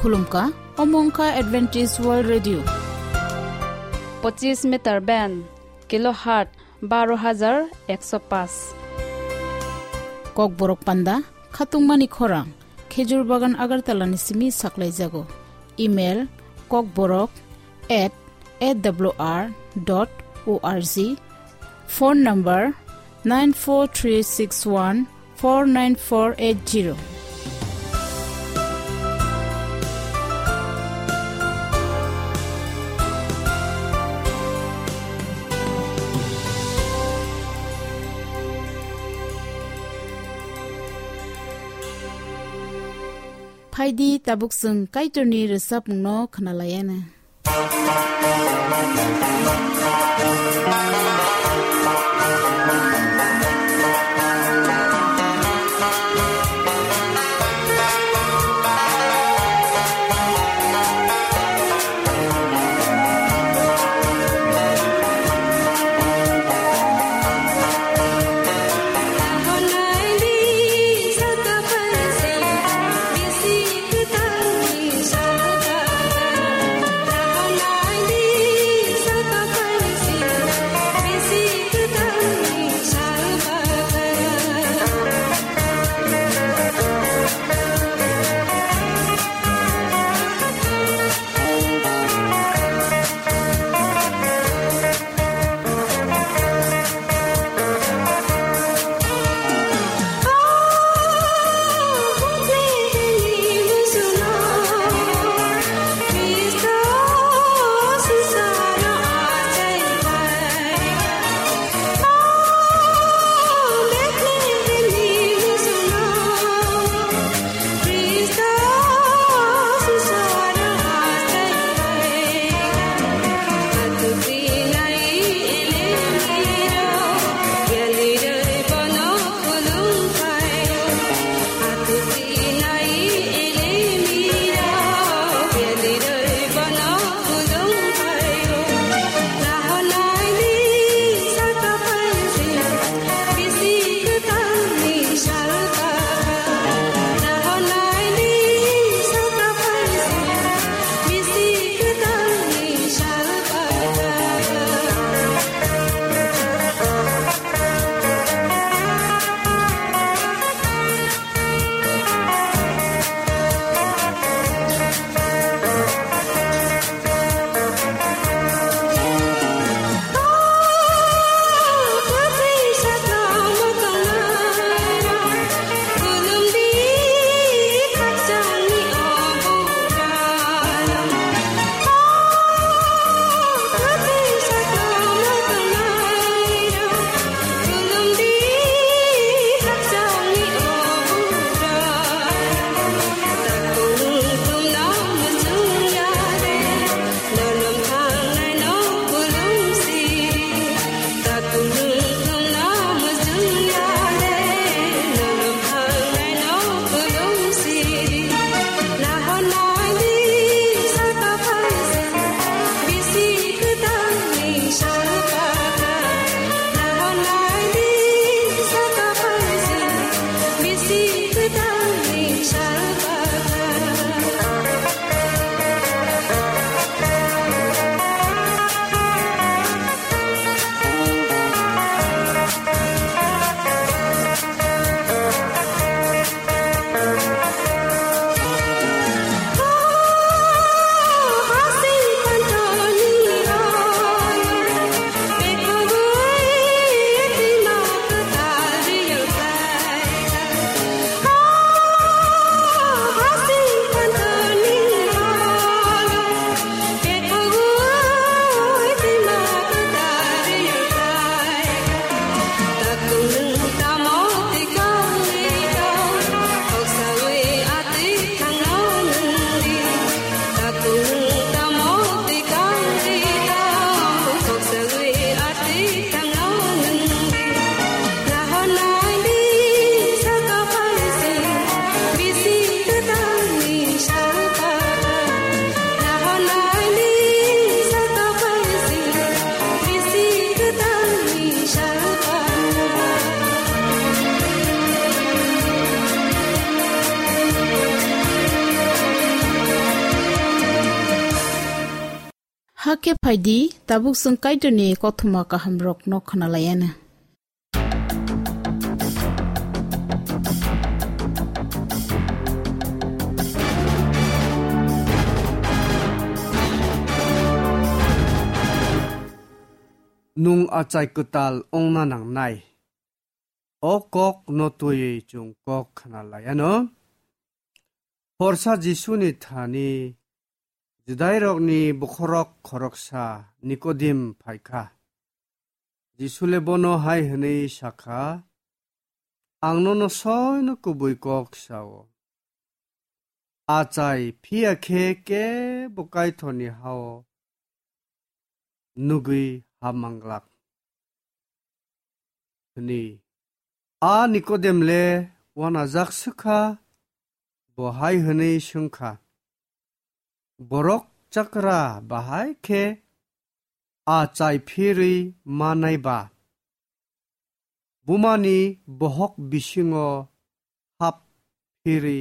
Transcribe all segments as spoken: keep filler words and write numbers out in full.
Khulumkha, omo wngkha Adventist World Radio. Pochis meter band, kilohertz baro hajar ekso paanch. Kokborok panda, khatungmani khorang, Khejur Bagan Agartala ni simi saklaijago. Email, kokborok at A W R dot O R G. Phone number, nine four three six one four nine four eight zero. Phaidi, tabuk chwng Kaitorni rwchapmungno khwnalaiyana. Hakhe phaidi, tabuk chwng Kaitorni kothoma kahamrokno khwnalaianw. Nwng achai kwtal wngna nangnai. O kok no twiwi chwng kok khna laianw. Horsa Jisuni thani Judairokni bokhorok khoroksa Nikodim phaikha. Jisule bono hai hwnwi sakha, "Ang nono soino kubui kok sao. Achai phiya khe kebo Kaitorni hao nugwi ha manglak," hwnwi. A Nikodem le uanajak swkha, bo hai hwnwi swngkha, "Borok chakra bahai khe achai phirwi manai ba? Bumani bohok bisingo hap phirwi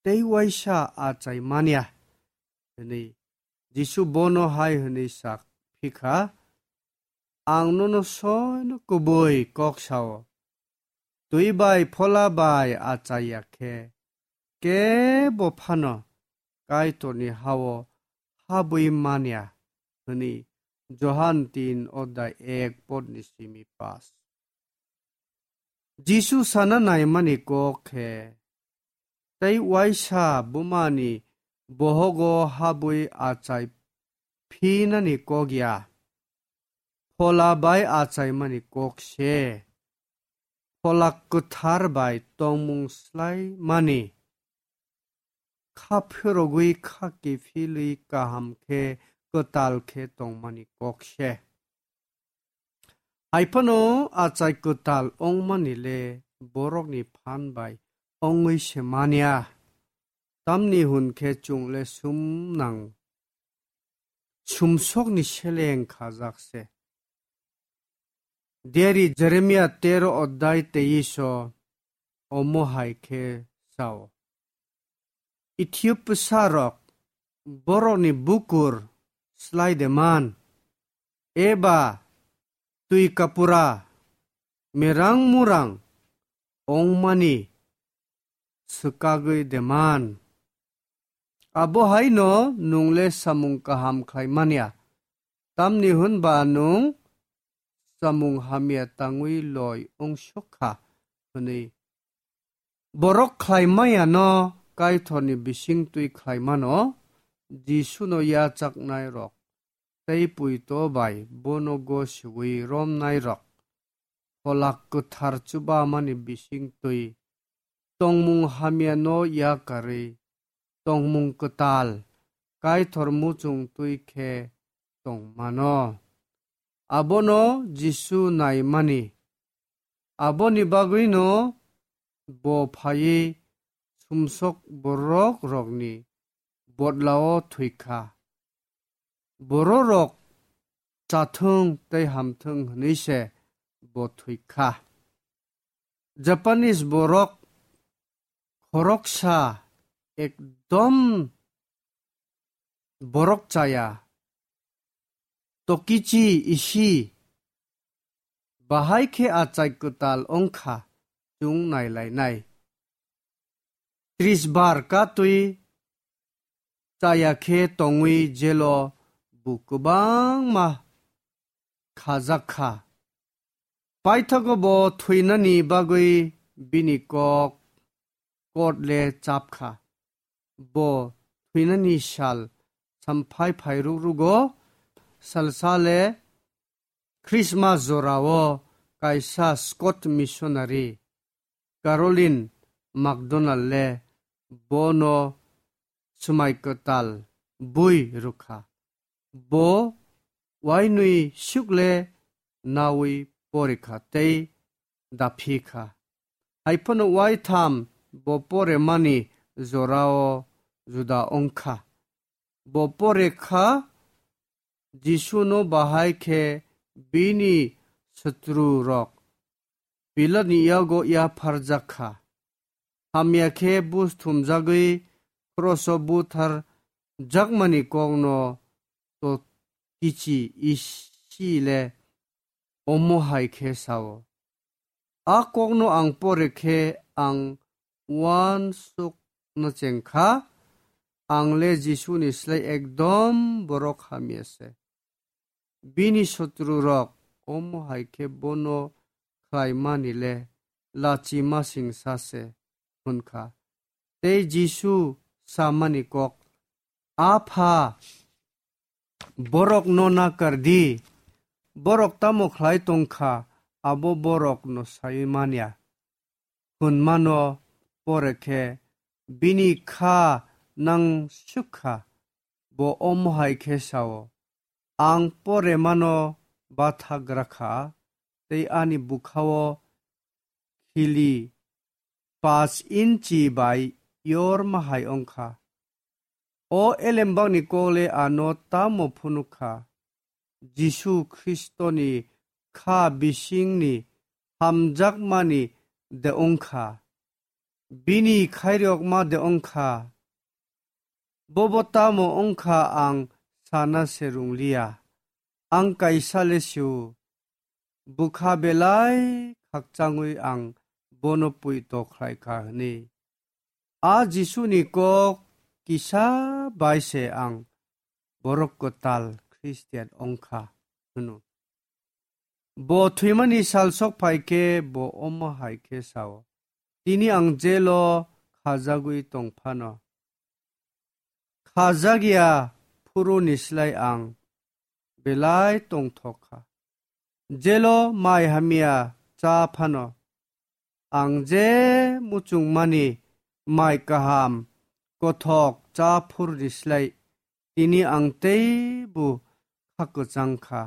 tei uaisa achai manya," hwnwi. Jisu bono hai hwnwi sak phikha, "Ang nono soino kubui kok sao, twi bai phola bai achaiya khe kebo phano Kaitorni hao habwi manya," hwnwi Johan tin odai ek podni simi pas. Jisu sana naimani kok khe, tei uaisa bumani bohogo habwi achai phinani kok ya. Phola bai achaimani kok se. Phola kwthar bai tongmung slai mani. Kha phirogwi kha kiphilwi kaham khe kwtal khe tongmani kok se. Hai phano achai kwtal wngmani le borokni phan bai wngwi se manya. Tamni hwn khe chwng le sumnang sumsokni seleng khajak se. Diari Jeremia tero odai teiso omo hai khe sao. Ethiopia rok borokni bukur slai de man, eba twi kapura merang murang ongmani swkagwi de man. Abo hai no nwng le samung kaham khlai manya, tamni hwn ba nwng samung hamya tangwi loi wng sok kha, hwnwi. Borok khlai manya no Kaitorni bising twi khlai mano, Jisu no yachaknai rok tei puito bai bono gosiwi romnai rok. Pholak kwthar chubamani bising twi tongmung hamya no yakarwi tongmung kwtal Kaitor muchung twi khe tong mano. Abono Jisu naimani. Aboni bagwino bo phaiwi sumsok borok rokni bodlao thwikha. Bororok chathwng tei hamthwng hwnwi se bo thwikha. Japanese borok khoroksa ekdom borok chaya, Tokichi Ishii, bahai khe achai kwtal wngkha chwng nailainai. Tris bar katwi chaya khe tongwi jelo bo kwbangma khajak kha. Paithago bo thwinani bagwi bini kok kot le chap kha. Bo thwinani sal samphai phai ruk rugo salsa le Christmas jorao kaisa Scot missionary Caroline MacDonald le bono swmai kwtal bui rwkha. Bo uainwi sukle nawi porikha tei daphi kha. Hai phano uaitham bo poremani jorao juda wngkha. Bo pore kha, Jisuno bahai khe bini sotru rok Pilatni yago yapharjak kha. Hamya khe bus thumjagwi kroso buthar jakmani kokno to-, kichi isi le omo hai khe sao. A kokno ang pore khe ang uansukno cheng kha, ang le Jisuni slai ekdom borok hamya se. Bini sotru rok omo hai khe bono khlaimani le lachima singsa se hwn kha. Tei Jisu samani kok, "Apha, borokno nakar di, borok tamo khlai tong kha, abo borokno sai man ya," hwnmano pore khe bini kha nangsuk kha, bo omo hai khe sao, "Ang poremano bathagra kha, tei ani bwkhao khili paanch inchi bai yorma hai wng kha." O elembakni kok le ano tamo phunuk kha? Jisu Khristoni kha bisingni hamjakmani de wng kha? Bini khairokma de wng kha? Bobo tamo wng kha ang sana se rung liya. Ang kaisa le sio, bwkha belai khakchangwi ang bono pui tokhlai kha hwnwi. A Jisuni kok kisa bai se ang borok kwtal Khristian wng kha hwno. Bo thwimani sal sok phai khe bo omo hai khe sao, "Tini ang jelo khajagwi tong phano, khajak ya phuruni slai ang belai tongthok kha. Jelo mai hamya cha phano, ang je muchungmani mai kaham kothok cha phuruni slai tini ang teibo kha kwchang kha.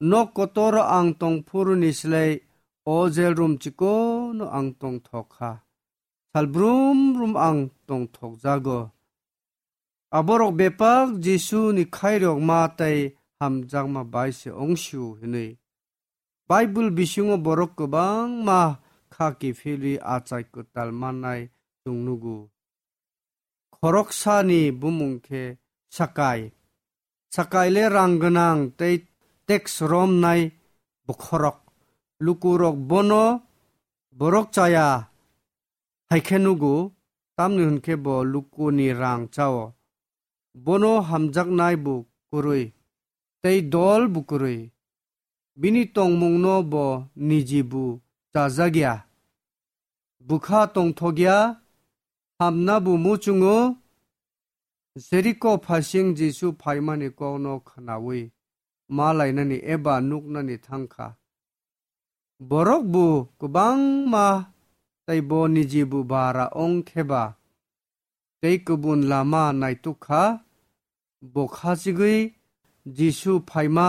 Nok kotoro ang tong phuruni slai o jail room chikono ang tongthok kha. Sal brum brum ang tongthok jago." Aborok bepak Jisuni khairokma tei hamjakma bai se wng sio hwnwi Baibul bisingo borok kwbangma kha kiphilwi achai kwtal mannai chwng nugo. Khoroksani bumung khe Sakai. Sakai le rang gwnang tei teks romnai bokhorok. Lukurok bono borok chaya hai khe nugo, tamni hwn khe bo lukuni rang chao. Bono hamjaknai bo kwrwi, tei dol bo kwrwi. Bini tongmungno bo niji bo chajak ya. Bwkha tongthok ya, hamna bo muchungo. Jeriko phasing Jisu phaimani kokno khnaui ma lainani eba nuknani thang kha. Borok bo kwbangma tei bo niji bo bara wng khe ba tei kubun lama naituk kha. Bo khachigwi Jisu phaima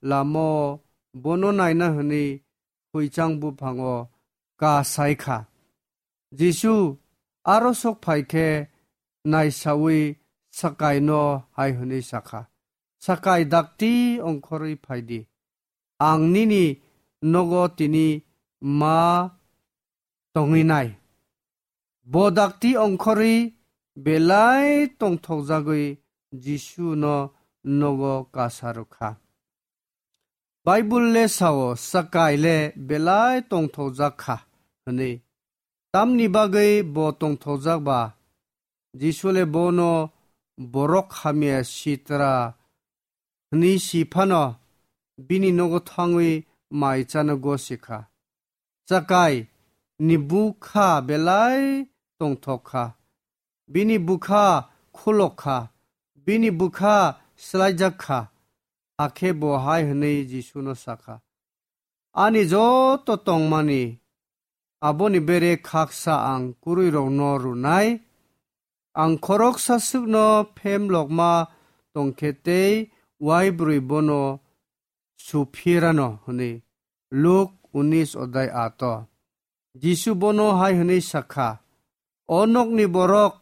lama-o bono naina hwnwi hwichang buphango kasai kha. Jisu aro sok phai khe naisaui Sakaino hai hwnwi sa kha, "Sakai, dakti ongkhorwi phai di, ang nini nogo tini ma tongwi nai." Bo dakti ongkhorwi belai tongthokjagwi Jisuno nogo kasa rw kha. Baibul le sao, Sakai le belai tongthokjak kha hwnwi. Tamni bagwi bo tongthokjak ba? Jisu le bono borok hamya sitra hwnwi si phano bini nogo thangwi mai chano gosi kha. Sakai ni bwkha belai tongthok kha. Bini bwkha khulok kha. Bini bwkha swlaijak kha. Hakhe bo hai hwnwi Jisuno sa kha, "Ani joto tongmani, aboni bere khaksa ang kwrwirokno rwnai. Ang khoroksa swkno phemlokma tong khe tei uaibrwi bono su phirano," hwnwi. Luk unis odai ato. Jisu bono hai hwnwi sa kha, "O nokni borok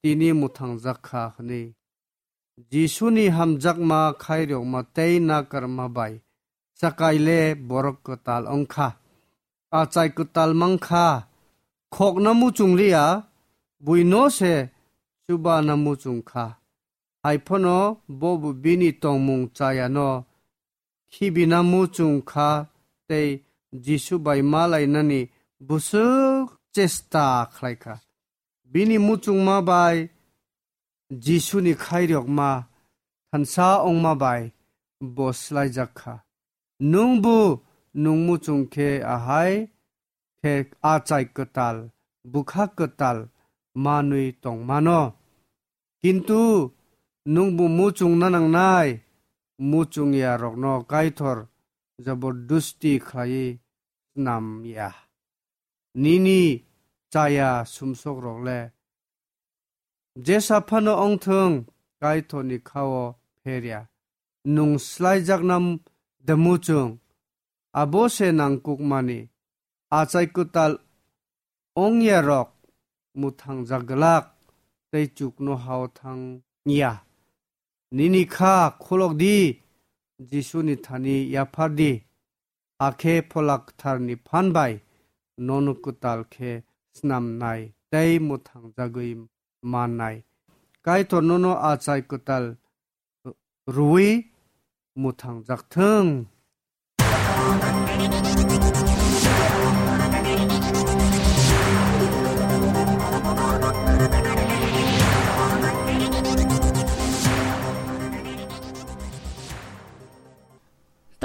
tini mwthangjak kha," hwnwi. Jisuni hamjakma khairokma tei nakarma bai Sakai le borok kwtal wng kha. Achai kwtal mang kha, khokna muchung liya, buino se chubana muchung kha. Hai phano bobo bini tongmung chayano khibina muchung kha tei Jisu bai malainani bwswk chesta khlai kha. Bini muchungma bai Jisuni khairokma thansa wngma bai bo swlaijak kha. Nwngbo nwng muchung khe ahai khe achai kwtal, bwkha kwtal manwi tongmano. Kintu nwngbo muchungna nangnai, muchungyarokno Kaitor jobordusti khlaiwi snam ya. Nini chaya sumsokrok le jesa phano wngthung, Kaitorni khao pher ya. Nwng swlaijakna de muchung, abo se nangkukmani. Achai kwtal wngyarok mwthangjak glak tei chuknohao thang ya. Nini kha khulok di, Jisuni thani yaphar di, hakhe Phola Kwtharni phan bai nono kwtal khe snamnai tei mwthangjagwi mannai. Kaitor nono achai kwtal rwui mwthangjak thung.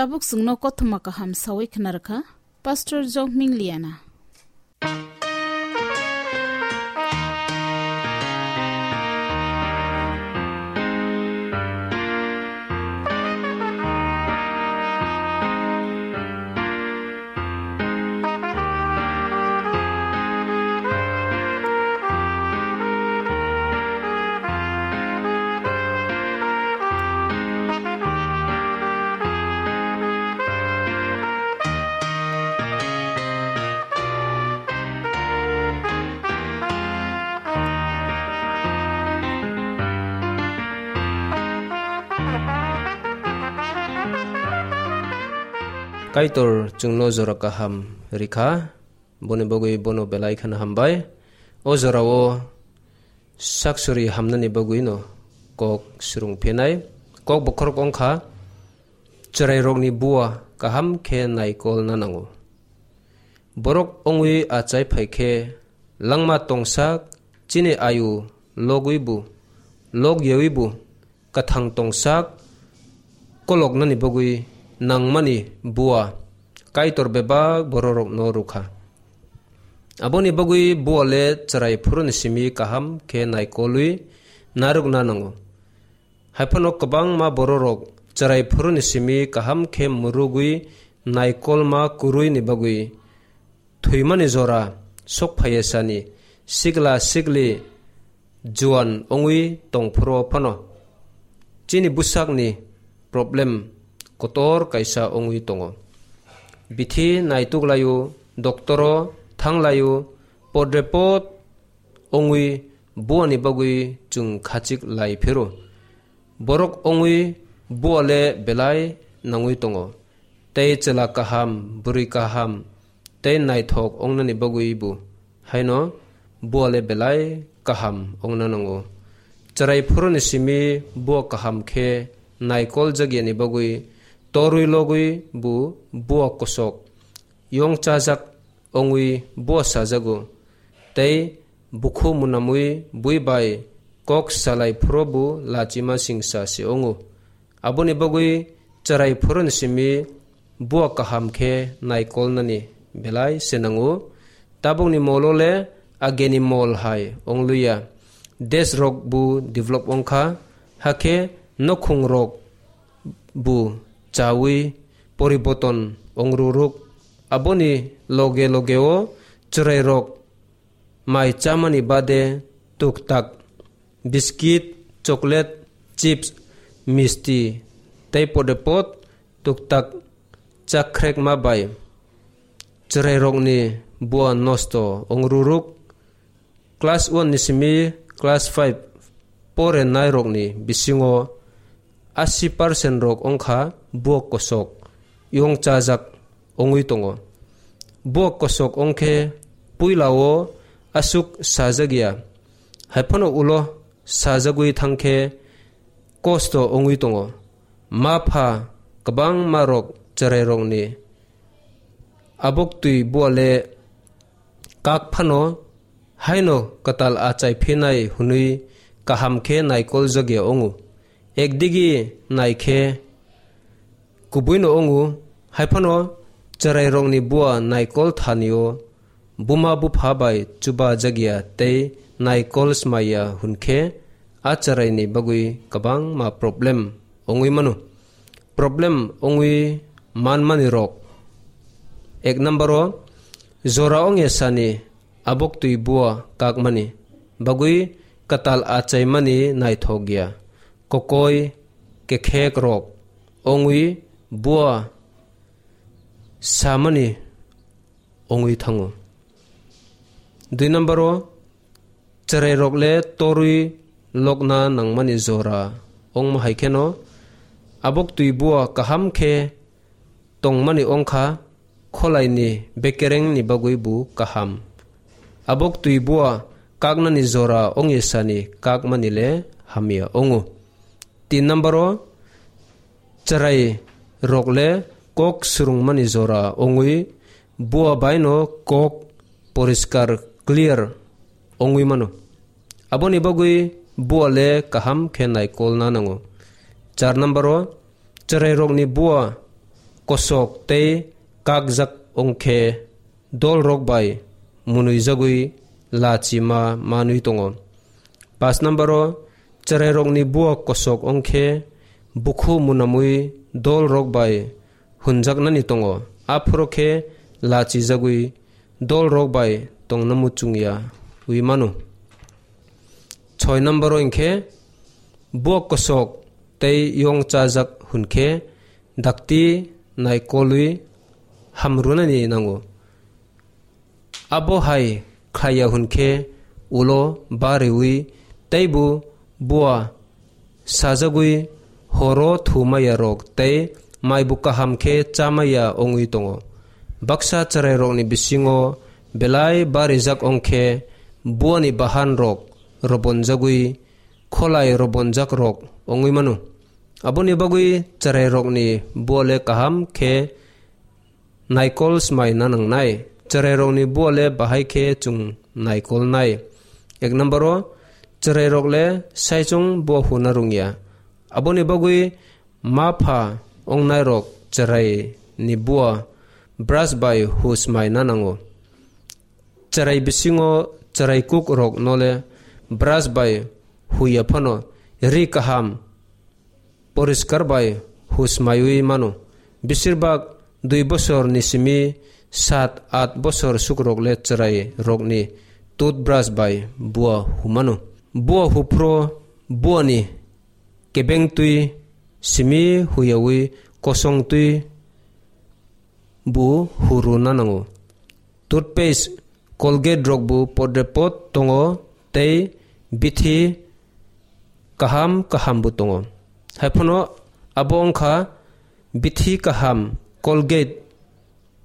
Tabuk chwngno kothoma kaham sawi khna rwkha Pastor Jokming Liana. Kaitor chwngno jora kaham rikha, boni bagwi bono belai kheno hambai. O jorao saksuri hamnani bagwino kok swrwng phinai. Kok bokhorok wngkha, chwrairokni bua kaham khe naikolna nango. Borok wngwi achai phai khe langma tongsak chini ayu logwi bu, log yawi bu, kathang tongsak koloknani bagwi nangmani bua Kaitor bebak bororokno rwkha. Aboni bagwi bua le chwrai phuruni simi kaham khe naikolwi narwkna nango. Haiphano kwbangma bororok chwrai phuruni simi kaham khe mwrwgwi naikolma kwrwini bagwi thwimani jora sok phaiya sani sikla sikli juan wngwi tong phuru phano chini bwsakni problem kotor kaisa wngwi tongo. Bithi naituk laio, doktoro thang laio, podrepot wngwi buani bagwi chwng khachik lai phiro. Borok wngwi bua le belai nangwi tongo. Tei chwla kaham, bwrwi kaham, tei naithok wngnani bagwi bo haino bua le belai kaham wngna nango. Chwrai phuruni simi bua kaham khe naikol jagyani bagwi torwi logwi bo bua kosok yong chajak wngwi bua sajago, tei bukhu munamwi bui bai kok salai phuru bo lachima singsa se wngo. Aboni bagwi chwrai phuruni simi bua kaham khe naikolnani belai se nango. Tabukni molo le ageni mol hai wngluya. Desh rok bo develop wngkha, hakhe nokhung rok bo chawi poriboton wngruruk. Aboni loge logeo chwrairok mai chamani bade tuktak biskit, chocolate, chips, misti tei podepot tuktak chakrekma bai chwrairokni bua nosto wngruruk. Class one ni simi class five porenairokni bisingo asi percent rok wngkha buak kosok yong chajak wngwi tongo. Buak kosok wngkhe puilao aswk sajak ya, haiphano ulo sajagwi thangkhe kosto wngwi tongo. Ma pha kwbangma rok chwrairokni abok twi bua le kak phano haino kwtal achai phinai hwnwi kaham khe naikol jagya wngo. Ekdigi nai khe kubuino wngo, hai phano chwrairokni bua naikol thanio buma bupha bai chuba jagya tei naikol smaiya hwn khe a chwraini bagwi kwbangma problem wngwi mano. Problem wngwi manmani rok. Ek number o, jora wngya sani abok twi bua kakmani bagwi kwtal achaimani naithok ya. Kokoi kekhek rok wngwi bua samani wngwi thango. Dui number o, chwrairok le torwi lokna nangmani jora wngma hai kheno abok twi bua kaham khe tongmani wngkha, kholaini bekerengni bagwi bo kaham. Abok twi bua kaknani jora wngya sani kakmani le hamya wngo. Tin number o, chwrai rok le kok swrwngmani jora wngwi bua baino kok poriskar, clear, wngwi mano. Aboni bagwi bua le kaham khe naikolna nango. Char number o, chwrairokni bua kosok tei kakjak wngkhe dolrok bai mwnwijagwi lachi ma manwi tongo. Pas number o, chwrairokni bua kosok wngkhe bukhu mwnamwi dolrok bai hwnjaknani tongo, aphuru khe lachijagwi dolrok bai tongna muchungya wi mano. Soi number o hwnkhe bua kosok tei yong chajak hwnkhe dakti naikolwi hamrwnani nango. Abo hai khlaiya hwnkhe ulo bariwi teibo bua sajagwi horo thumaya rok tei maibu kaham khe chamaya wngwi tongo. Baksa chwrairokni bisingo belai barijak wngkhe buani bahan rok robonjagwi kholai robonjak rok wngwi mano. Aboni bagwi chwrairokni bua le kaham khe naikol smaina nangnai. Chwrairokni bua le bahai khe chwng naikolnai. Ek number o, chwrairok le saichung bua huna rwngya. Aboni bagwi ma pha wngnairok chwraini bua brush bai hu smaina nango. Chwrai bisingo chwrai kuk rokno le brush bai huya phano ri kaham poriskar bai husmaiwi mano. Besirbak dui bosor ni simi sat at bosor sukrok le chwrai rokni toothbrush bai bua humano. Bua huphro buani kebeng twi simi huyawi kosong twi bu huruna nango. Toothpaste, Colgate rok bo podre pod tongo tei bithi kaham kaham bo tongo. Haiphano abo wngkha bithi kaham Colgate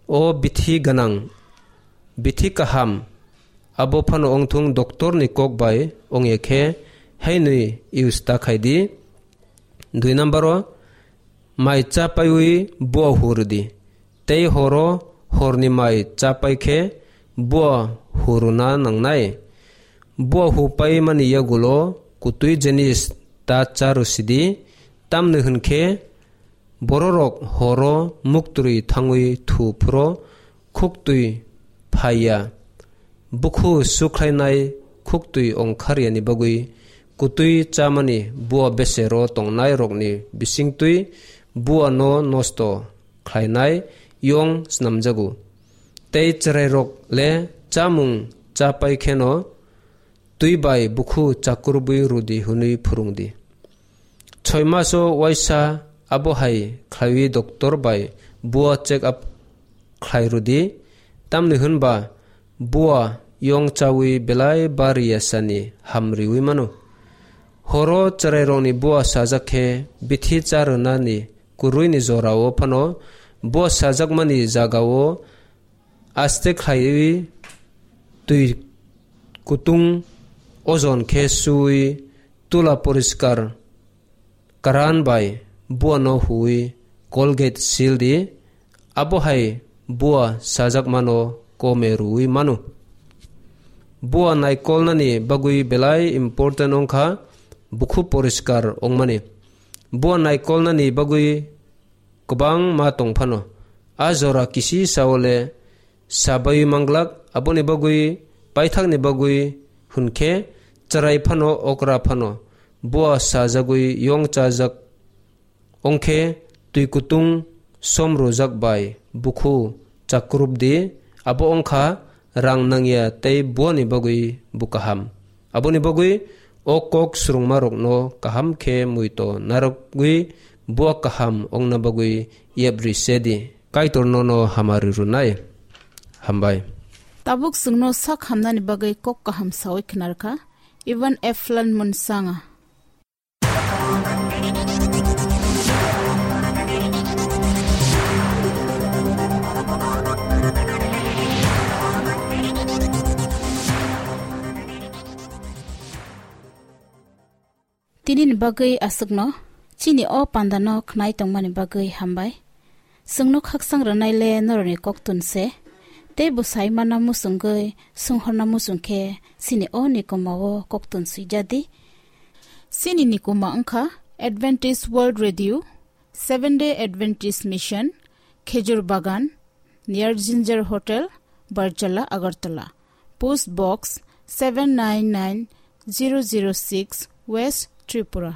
o bithi ganang, bithi kaham abo phano wngthung doctor ni kok bai wngya khe hainwi use ta khai di. Dui number o, mai cha paiwi bua hurdi. Tei horo horni mai cha pai khe bua huruna nangnai. Bua hu pai mani yagulo kutui jenis ta cha rwsidi, tamni hwnkhe bororok horo muktwi thangwi thu phuro khuktwi phaiya. Bukhu sukhlainai khuktwi ongkharyani bagwi kutwi chamani bua besero tongnairokni bisingtwi buano nosto khlainai yong snamjago. Tei chwrairok le chamung cha pai kheno twi bai bukhu chakrubwi rwdi hwnwi phwrwngdi. Soi maso waisa abo hai khlaiwi doctor bai bua check up khlai rwdi, tamni hwnba bua yong chawi belai bariya sani hamriwi mano. Horo chwrairokni bua sajak khe bithi cha rwnani kwrwini jorao phano bua sajakmani jagao aste khlaiwi twi kutung ojon khe suwi tula poriskar karan bai buano huwi Colgate sil di, abo hai bua sajakmano kome rwwi mano. Bua naikolnani bagwi belai important wngkha bukhu poriskar wngmani. Bua naikolnani bagwi kwbangma tong phano. A jora kisi sao le sabai manglak, aboni bagwi paithakni bagwi hwnkhe chwrai phano okra phano bua sajagwi yong chajak. Ongkhe twi kutung som rwjak bai bukhu chakrupdi, abo ongkha rang nangya tei buani bagwi bo kaham. Aboni bagwi o kok swrwngmarokno kaham khe muito narwgwi bua kaham ongna bagwi yapri sedi. Kaitor nono hamari rwnai. Hambai. Tabuk chwngno sak hamnani bagwi kok kaham sawi khwnarkha Ivan Eflan Munsanga. Tinini bagwi aswkno, chini o pandano khnai tongmani bagwi hambai. Chwngno khakchang rwnai le norokni koktun se, tei bo sai manna muchungwi, swnghorna muchung khe chini o nikoma o koktun swijadi. Chini nikoma wngkha Adventist World Radio, Seven Day Adventist Mission, Khejur Bagan, near Ginger Hotel, Barjala, Agartala. Post Box seven nine nine zero zero six, West Tripura.